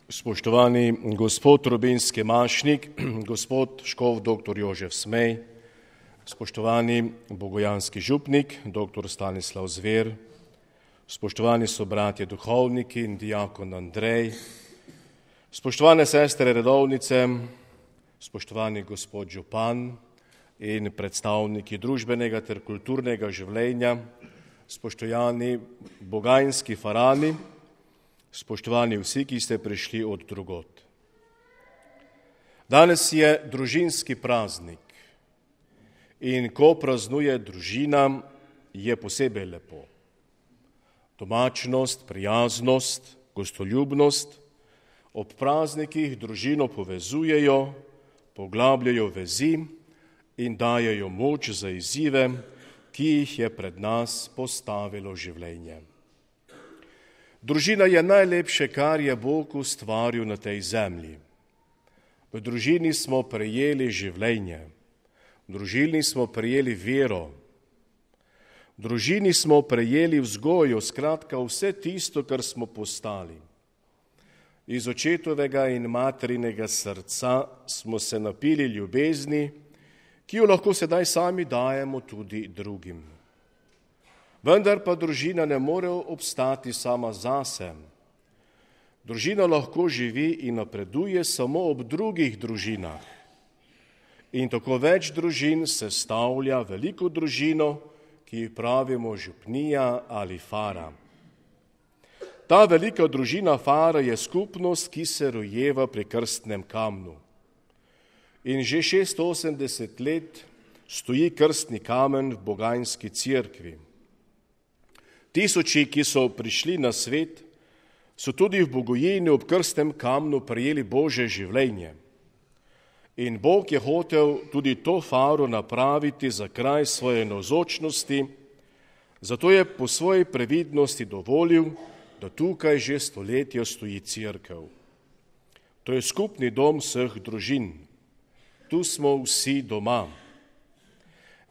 Spoštovani gospod Rubinski Mašnik, gospod škof dr. Jožef Smej, spoštovani bogojanski župnik dr. Stanislav Zver, spoštovani sobratje duhovniki in diakon Andrej, spoštovane sestre redovnice, spoštovani gospod župan in predstavniki družbenega ter kulturnega življenja, spoštovani bogajanski farani, spoštovani vsi, ki ste prišli od drugod. Danes je družinski praznik in ko praznuje družina, je posebej lepo. Domačnost, prijaznost, gostoljubnost ob praznikih družino povezujejo, poglabljajo vezi in dajejo moč za izzive, ki jih je pred nas postavilo življenje. Družina je najlepše, kar je Bog ustvaril na tej zemlji. V družini smo prejeli življenje, v družini smo prejeli vero, v družini smo prejeli vzgojo, skratka vse tisto, kar smo postali. Iz očetovega in materinega srca smo se napili ljubezni, ki jo lahko sedaj sami dajemo tudi drugim. Vendar pa družina ne more obstati sama zase. Družina lahko živi in napreduje samo ob drugih družinah. In tako več družin sestavlja veliko družino, ki ji pravimo župnija ali fara. Ta velika družina fara je skupnost, ki se rojeva pri krstnem kamnu. In že 680 let stoji krstni kamen v bogajanski cerkvi. Tisoči, ki so prišli na svet, so tudi v Bogojini ob krstnem kamnu prejeli Božje življenje. In Bog je hotel tudi to faro napraviti za kraj svoje navzočnosti, zato je po svoji previdnosti dovolil, da tukaj že stoletja stoji cerkev. To je skupni dom vseh družin. Tu smo vsi doma.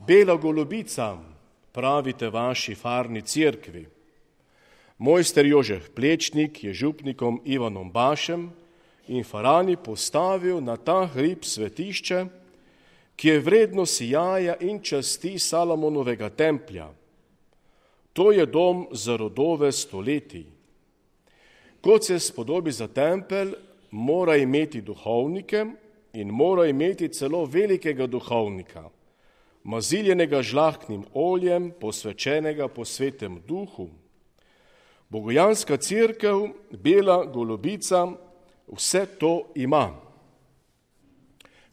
Bela golobica, pravite vaši farni cerkvi. Mojster Jožef Plečnik je župnikom Ivanom Bašem in farani postavil na ta hrib svetišče, ki je vredno sijaja in časti Salomonovega templja. To je dom za rodove stoletij. Kot se spodobi za tempelj, mora imeti duhovnike in mora imeti celo velikega duhovnika, maziljenega žlahtnim oljem, posvečenega po svetem duhu. Bogojanska cerkev, bela golobica, vse to ima.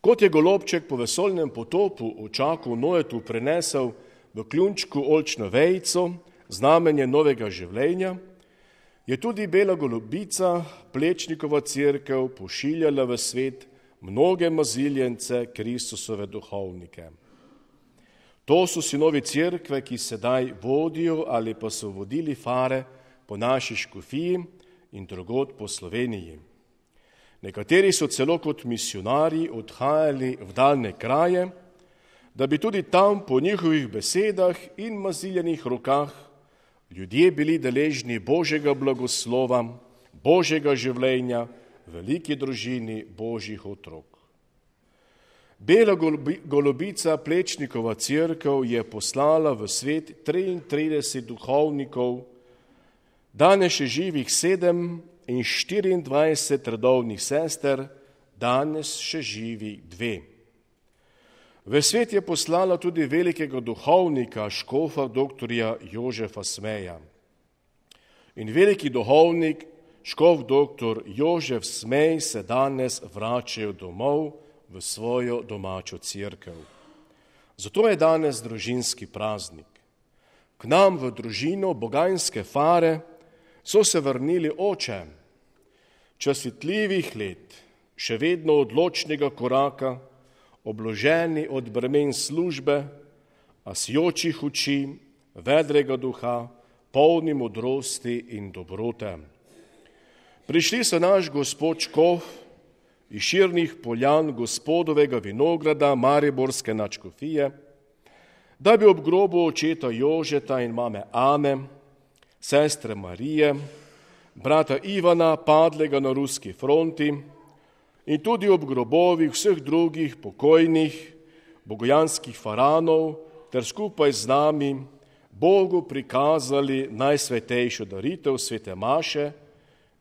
Kot je golobček po vesoljnem potopu v čaku Noetu prenesel v kljunčku oljčno vejico, znamenje novega življenja, je tudi bela golobica, Plečnikova cerkev, pošiljala v svet mnoge maziljence, Kristusove duhovnike. To so sinovi cerkve, ki sedaj vodijo ali pa so vodili fare po naši škofiji in drugod po Sloveniji. Nekateri so celo kot misionarji odhajali v daljne kraje, da bi tudi tam po njihovih besedah in maziljenih rokah ljudje bili deležni Božjega blagoslova, Božjega življenja, veliki družini Božjih otrok. Bela golobica, Plečnikova cerkev, je poslala v svet 33 duhovnikov, danes še živih 7 in 24 redovnih sester, danes še živi 2. V svet je poslala tudi velikega duhovnika, škofa dr. Jožefa Smeja. In veliki duhovnik, škof dr. Jožef Smej, se danes vračajo domov v svojo domačo cerkev. Zato je danes družinski praznik. K nam v družino bogajanske fare so se vrnili oče, častitljivih let, še vedno odločnega koraka, obloženi od bremen službe, a sijočih oči, vedrega duha, polni modrosti in dobrote. Prišli so naš gospod škof iz širnih poljan gospodovega vinograda mariborske nadškofije, da bi ob grobu očeta Jožeta in mame Ane, sestre Marije, brata Ivana, padlega na ruski fronti, in tudi ob grobovih vseh drugih pokojnih bogojanskih faranov ter skupaj z nami Bogu prikazali najsvetejšo daritev svete maše,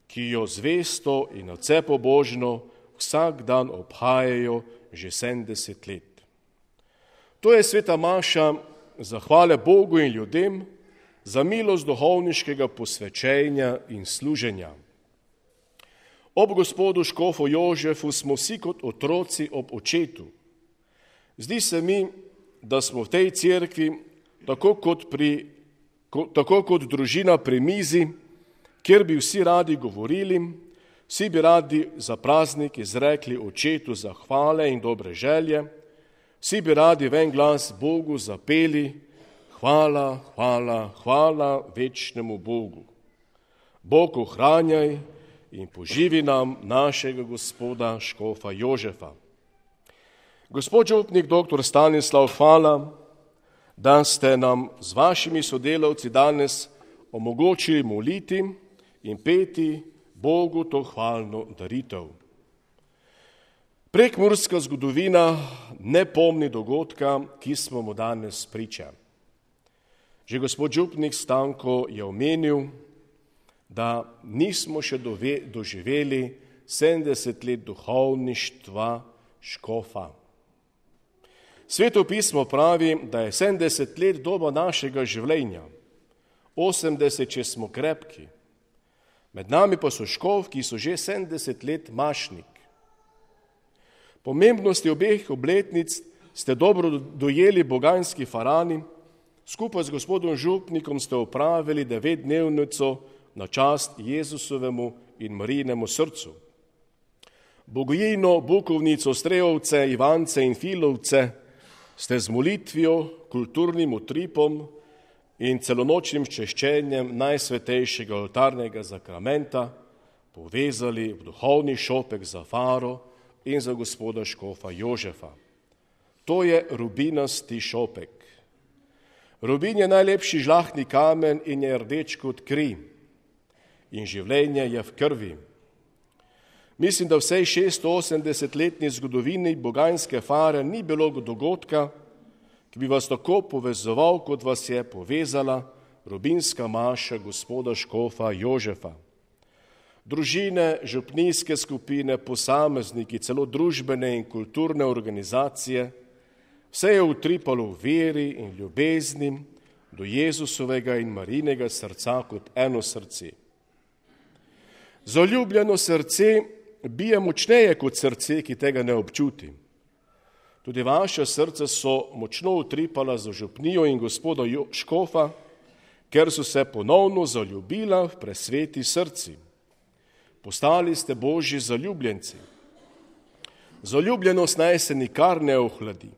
ki jo zvesto in nadvse pobožno vsak dan obhajajo že 70 let. To je sveta maša zahvale Bogu in ljudem za milost duhovniškega posvečenja in služenja. Ob gospodu škofu Jožefu smo vsi kot otroci ob očetu. Zdi se mi, da smo v tej cerkvi tako kot družina pri mizi, kjer bi vsi radi govorili, vsi bi radi za praznik izrekli očetu zahvale in dobre želje, vsi bi radi v en glas Bogu zapeli hvala, hvala, hvala večnemu Bogu. Bog ohranjaj in poživi nam našega gospoda škofa Jožefa. Gospod župnik dr. Stanislav, hvala, da ste nam z vašimi sodelavci danes omogočili moliti in peti Bogu to hvalno daritev. Prekmurska zgodovina ne pomni dogodka, ki smo mu danes priča. Že gospod župnik Stanko je omenil, da nismo še doživeli 70 let duhovništva škofa. Sveto pismo pravi, da je 70 let doba našega življenja, 80, če smo krepki. Med nami pa so škof, ki so že 70 let mašnik. Pomembnosti obeh obletnic ste dobro dojeli boganski farani, skupaj z gospodom župnikom ste opravili 9-dnevnico na čast Jezusovemu in Marijinemu srcu. Bogojino, Bukovnico, Strejovce, Ivance in Filovce ste z molitvijo, kulturnim utripom in celonočnim češčenjem najsvetejšega oltarnega zakramenta povezali v duhovni šopek za faro in za gospoda škofa Jožefa. To je rubinasti šopek. Rubin je najlepši žlahtni kamen in je rdeč kot kri. In življenje je v krvi. Mislim, da vsej 680-letni zgodovini boganske fare ni bilo dogodka, ki bi vas tako povezoval, kot vas je povezala rubinska maša gospoda škofa Jožefa. Družine, župnijske skupine, posamezniki, celo družbene in kulturne organizacije, vse je utripalo v veri in ljubezni do Jezusovega in Marijinega srca kot eno srce. Zaljubljeno srce bije močneje kot srce, ki tega ne občuti. Tudi vaša srca so močno utripala za župnijo in gospoda škofa, ker so se ponovno zaljubila v presveti srci. Postali ste Božji zaljubljenci. Zaljubljenost naj se nikar ne ohladi.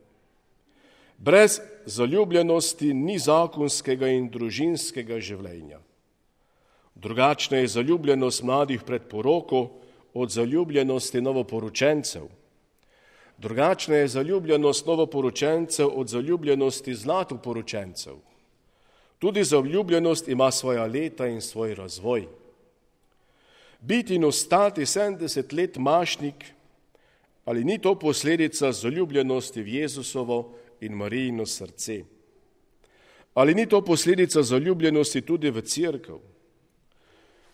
Brez zaljubljenosti ni zakonskega in družinskega življenja. Drugačna je zaljubljenost mladih pred poroko od zaljubljenosti novoporočencev. Drugačna je zaljubljenost novoporočencev od zaljubljenosti zlatoporočencev. Tudi zaljubljenost ima svoja leta in svoj razvoj. Biti in ostati 70 let mašnik, ali ni to posledica zaljubljenosti v Jezusovo in Marijino srce? Ali ni to posledica zaljubljenosti tudi v cerkev?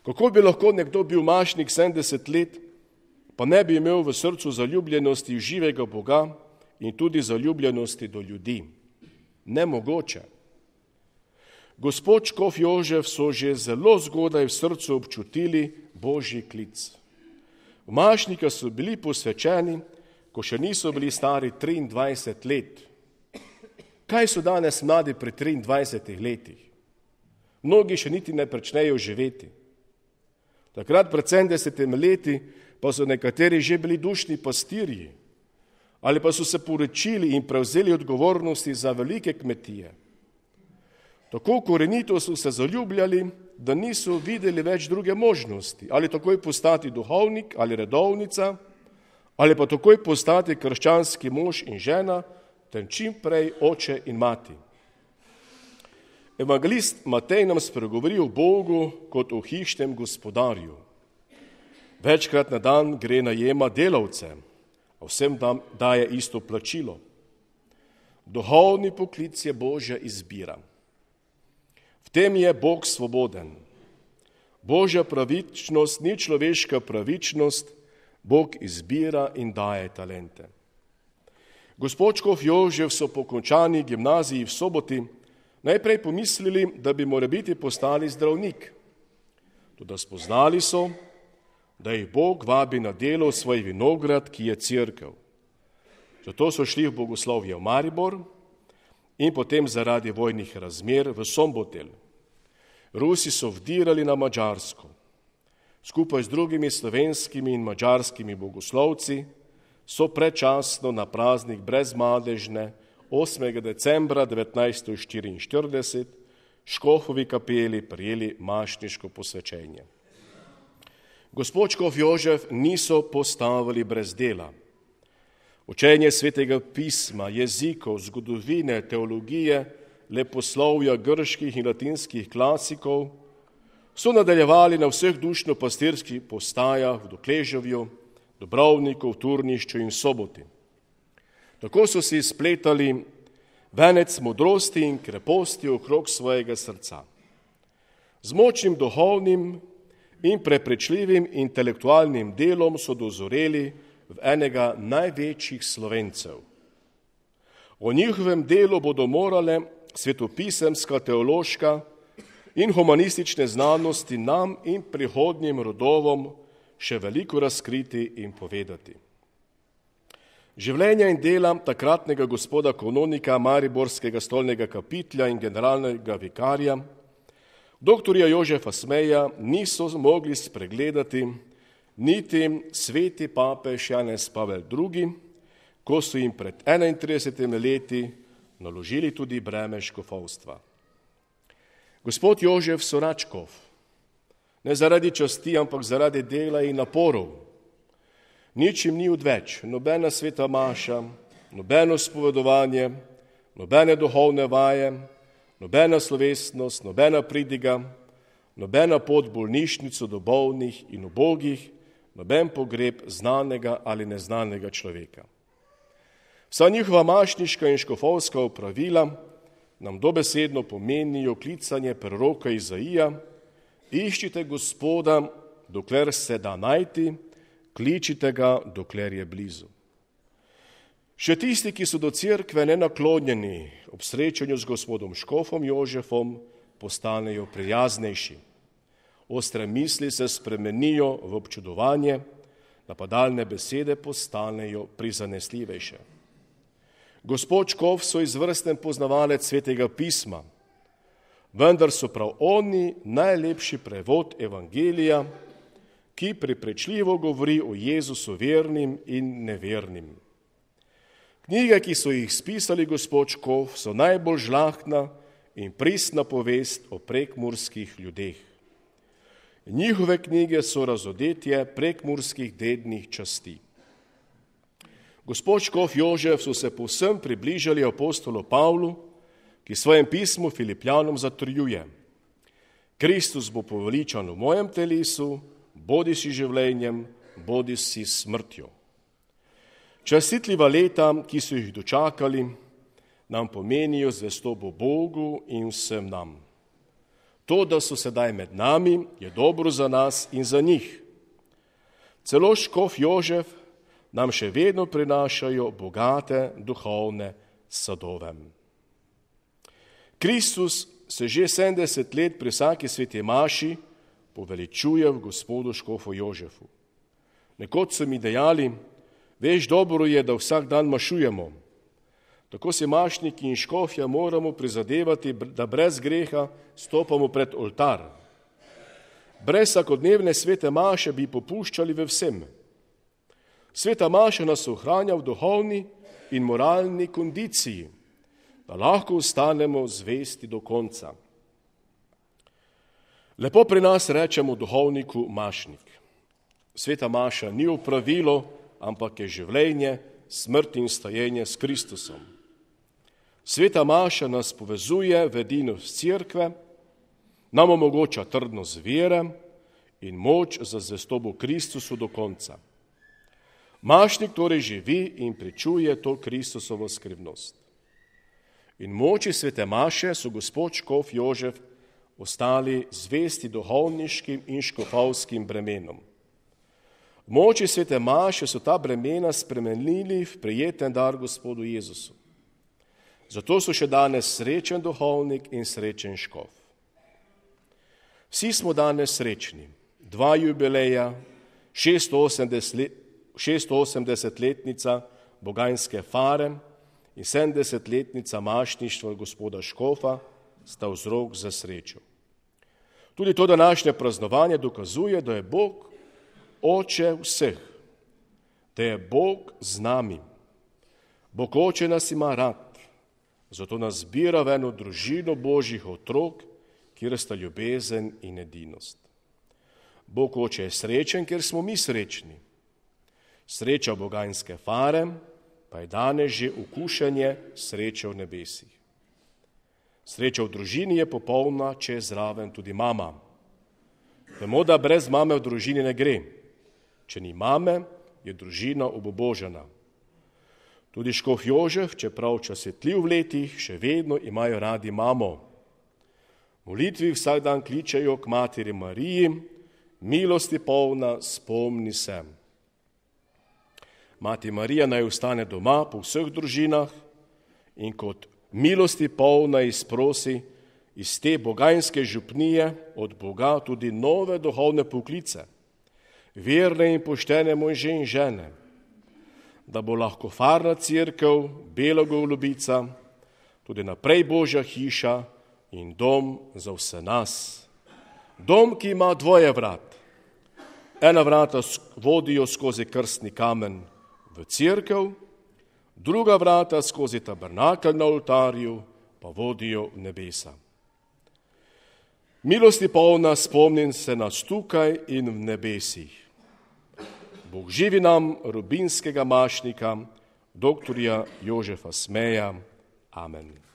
Kako bi lahko nekdo bil mašnik 70 let, pa ne bi imel v srcu zaljubljenosti v živega Boga in tudi zaljubljenosti do ljudi? Nemogoče. Gospod škof Jožef so že zelo zgodaj v srcu občutili Božji klic. V mašnika so bili posvečeni, ko še niso bili stari 23 let. Kaj so danes mladi pri 23 letih? Mnogi še niti ne pričnejo živeti. Takrat pred 70 leti pa so nekateri že bili dušni pastirji ali pa so se poročili in prevzeli odgovornosti za velike kmetije. Tako korenito so se zaljubljali, da niso videli več druge možnosti, ali takoj postati duhovnik ali redovnica, ali pa takoj postati krščanski mož in žena, ter čim prej oče in mati. Evangelist Matej nam spregovori o Bogu kot o hišnem gospodarju. Večkrat na dan gre najema delavce, a vsem daje isto plačilo. Duhovni poklic je Božja izbira. V tem je Bog svoboden. Božja pravičnost ni človeška pravičnost, Bog izbira in daje talente. Gospod škof Jožef so po končani gimnaziji v Soboti najprej pomislili, da bi morebiti postali zdravnik. Toda spoznali so, da jih Bog vabi na delo v svoj vinograd, ki je cerkev. Zato so šli v bogoslovje v Maribor in potem zaradi vojnih razmer v Sombotel. Rusi so vdirali na Madžarsko. Skupaj z drugimi slovenskimi in madžarskimi bogoslovci so predčasno na praznik brezmadežne 8. decembra 1944 škofovi kapeli prijeli mašniško posvečenje. Gospod škof Jožef niso postavili brez dela. Učenje svetega pisma, jezikov, zgodovine, teologije, leposlovja grških in latinskih klasikov so nadaljevali na vseh dušno-pastirskih postajah v Dokleževju, Dubrovniku, Turnišču in Soboti. Tako so si spletali venec modrosti in kreposti okrog svojega srca. Z močnim duhovnim in prepričljivim intelektualnim delom so dozoreli v enega največjih Slovencev. O njihovem delu bodo morale svetopisemska, teološka in humanistične znanosti nam in prihodnjim rodovom še veliko razkriti in povedati. Življenja in dela takratnega gospoda kanonika Mariborskega stolnega kapitelja in generalnega vikarja, doktorja Jožefa Smeja, niso mogli spregledati niti sveti papež Janez Pavel II., ko so jim pred 31 leti naložili tudi breme škofovstva. Gospod Jožef Soračkov, ne zaradi časti, ampak zaradi dela in naporov, ničim ni odveč, nobena sveta maša, nobeno spovedovanje, nobene duhovne vaje, nobena slovesnost, nobena pridiga, nobena pot v bolnišnico do bolnih in ubogih, noben pogreb znanega ali neznanega človeka. Vsa njihova mašniška in škofovska opravila nam dobesedno pomenijo klicanje proroka Izaija: iščite Gospoda, dokler se da najti, kličite ga, dokler je blizu. Še tisti, ki so do cerkve nenaklonjeni, ob srečanju z gospodom škofom Jožefom postanejo prijaznejši. Ostre misli se spremenijo v občudovanje, napadalne besede postanejo prizanesljivejše. Gospod škof so izvrsten poznavalec svetega pisma, vendar so prav oni najlepši prevod evangelija, ki prepričljivo govori o Jezusu vernim in nevernim. Knjige, ki so jih spisali gospod škof, so najbolj žlahtna in pristna povest o prekmurskih ljudeh. Njihove knjige so razodetje prekmurskih dednih časti. Gospod škof Jožef so se povsem približali apostolu Pavlu, ki svojem pismu Filipljanom zatrjuje: Kristus bo poveličan v mojem telesu, bodi si življenjem, bodi si smrtjo. Častitljiva leta, ki so jih dočakali, nam pomenijo zvestobo Bogu in vsem nam. To, da so sedaj med nami, je dobro za nas in za njih. Celo škof Jožef nam še vedno prinašajo bogate duhovne sadove. Kristus se že 70 let pri vsaki sveti maši poveličuje v gospodu škofu Jožefu. Nekoč so mi dejali: veš, dobro je, da vsak dan mašujemo. Tako se mašniki in škofja moramo prizadevati, da brez greha stopamo pred oltar. Brez vsakodnevne svete maše bi popuščali ve vsem. Sveta maša nas ohranja v duhovni in moralni kondiciji, da lahko ostanemo zvesti do konca. Lepo pri nas rečemo duhovniku mašnik. Sveta maša ni opravilo, ampak je življenje, smrt in stajenje s Kristusom. Sveta maša nas povezuje v edinost cerkve, nam omogoča trdnost vere in moč za zvestobo Kristusu do konca. Mašnik torej živi in pričuje to Kristusovo skrivnost. In moči svete maše so gospod škof Jožef ostali zvesti duhovniškim in škofovskim bremenom. V moči svete maše so ta bremena spremenili v prijeten dar gospodu Jezusu. Zato so še danes srečen duhovnik in srečen škof. Vsi smo danes srečni. 2 jubileja, 680-letnica Boganjske fare in 70-letnica mašništva gospoda škofa sta vzrok za srečo. Tudi to današnje praznovanje dokazuje, da je Bog Oče vseh, da je Bog z nami. Bog Oče nas ima rad, zato nas zbira v eno družino Božjih otrok, kjer sta ljubezen in edinost. Bog Oče je srečen, ker smo mi srečni. Sreča Boganjske fare pa je danes že okušanje sreče v nebesih. Sreča v družini je popolna, če je zraven tudi mama. Vemo, da brez mame v družini ne gre. Če ni mame, je družina obubožana. Tudi škof Jožef, čeprav časetljiv v letih, še vedno imajo radi mamo. Molitvi vsak dan kličejo k materi Mariji, milosti polna, spomni se. Mati Marija naj ostane doma po vseh družinah in kot milosti polna izprosi iz te boganjske župnije od Boga tudi nove duhovne poklice, verne in poštene može in žene, da bo lahko farna cerkev, Bela Golubica, tudi naprej Božja hiša in dom za vse nas. Dom, ki ima 2 vrat. Ena vrata vodijo skozi krstni kamen v cerkev, druga vrata skozi tabernakelj na oltarju pa vodijo v nebesa. Milosti polna, spomnim se nas tukaj in v nebesih. Bog živi nam rubinskega mašnika, doktorja Jožefa Smeja. Amen.